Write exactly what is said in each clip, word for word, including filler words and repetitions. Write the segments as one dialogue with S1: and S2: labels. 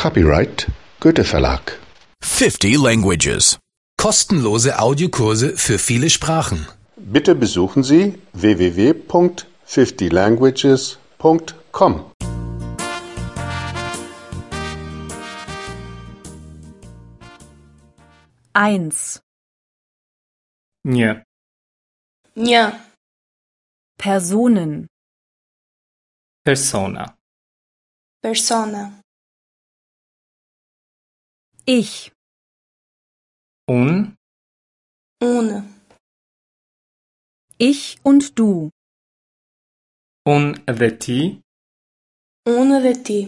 S1: Copyright Goethe Verlag.
S2: fifty languages.
S3: Kostenlose Audiokurse für viele Sprachen.
S1: Bitte besuchen Sie w w w punkt fifty languages punkt com.
S4: Eins.
S5: Një.
S6: Një.
S4: Personen.
S5: Persona.
S6: Persona.
S4: Ich.
S5: Unë.
S6: Unë.
S4: Ich und du.
S5: Unë dhe ti.
S6: Unë dhe ti.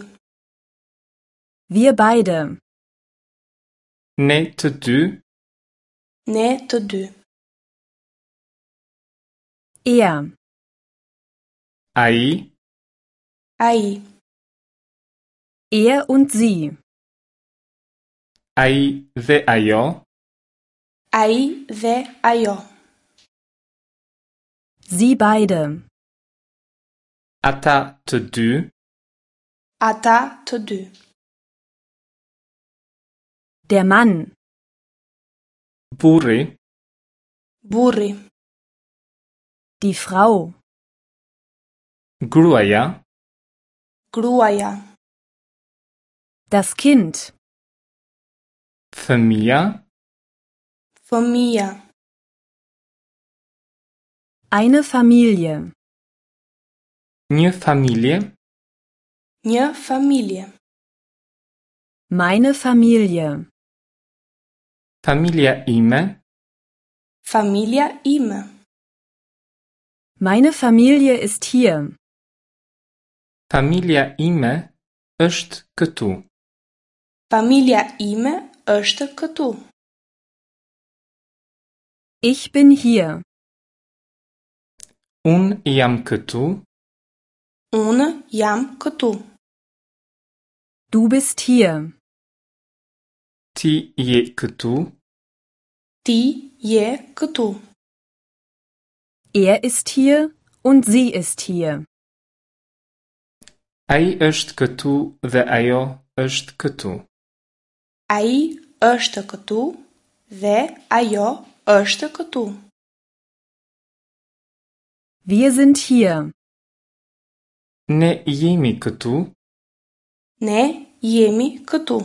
S4: Wir beide.
S5: Ne të dy.
S6: Ne të dy.
S4: Er.
S5: Ai.
S6: Ai.
S4: Er und sie.
S5: Ai dhe ajo.
S6: Ai dhe ajo.
S4: Sie beide.
S5: Ata të dy.
S6: Ata të dy.
S4: Der Mann.
S5: Burri.
S6: Burri.
S4: Die Frau.
S5: Gruaja.
S6: Gruaja.
S4: Das Kind.
S5: Fëmija.
S6: Fëmija.
S4: Eine Familie.
S5: Një familje.
S6: Një familje.
S4: Meine Familie.
S5: Familja ime.
S6: Familja ime.
S4: Meine Familie ist hier.
S5: Familja ime është këtu.
S6: Familja ime është këtu.
S4: Ich bin hier.
S5: Unë jam këtu.
S6: Unë jam këtu.
S4: Du bist hier.
S5: Ti je këtu.
S6: Ti je këtu.
S4: Er ist hier und sie ist hier.
S5: Ai është këtu dhe ajo është këtu.
S6: Ai është këtu dhe ajo është këtu.
S4: Wir sind hier.
S5: Ne jemi këtu.
S6: Ne jemi këtu.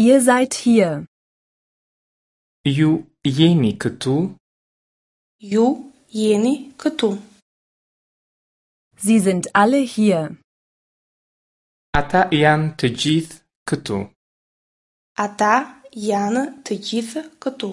S4: Ihr seid hier.
S5: Ju jeni këtu.
S6: Ju jeni këtu.
S4: Sie sind alle hier.
S5: Ata janë të gjithë këtu.
S6: Ata janë të gjithë këtu.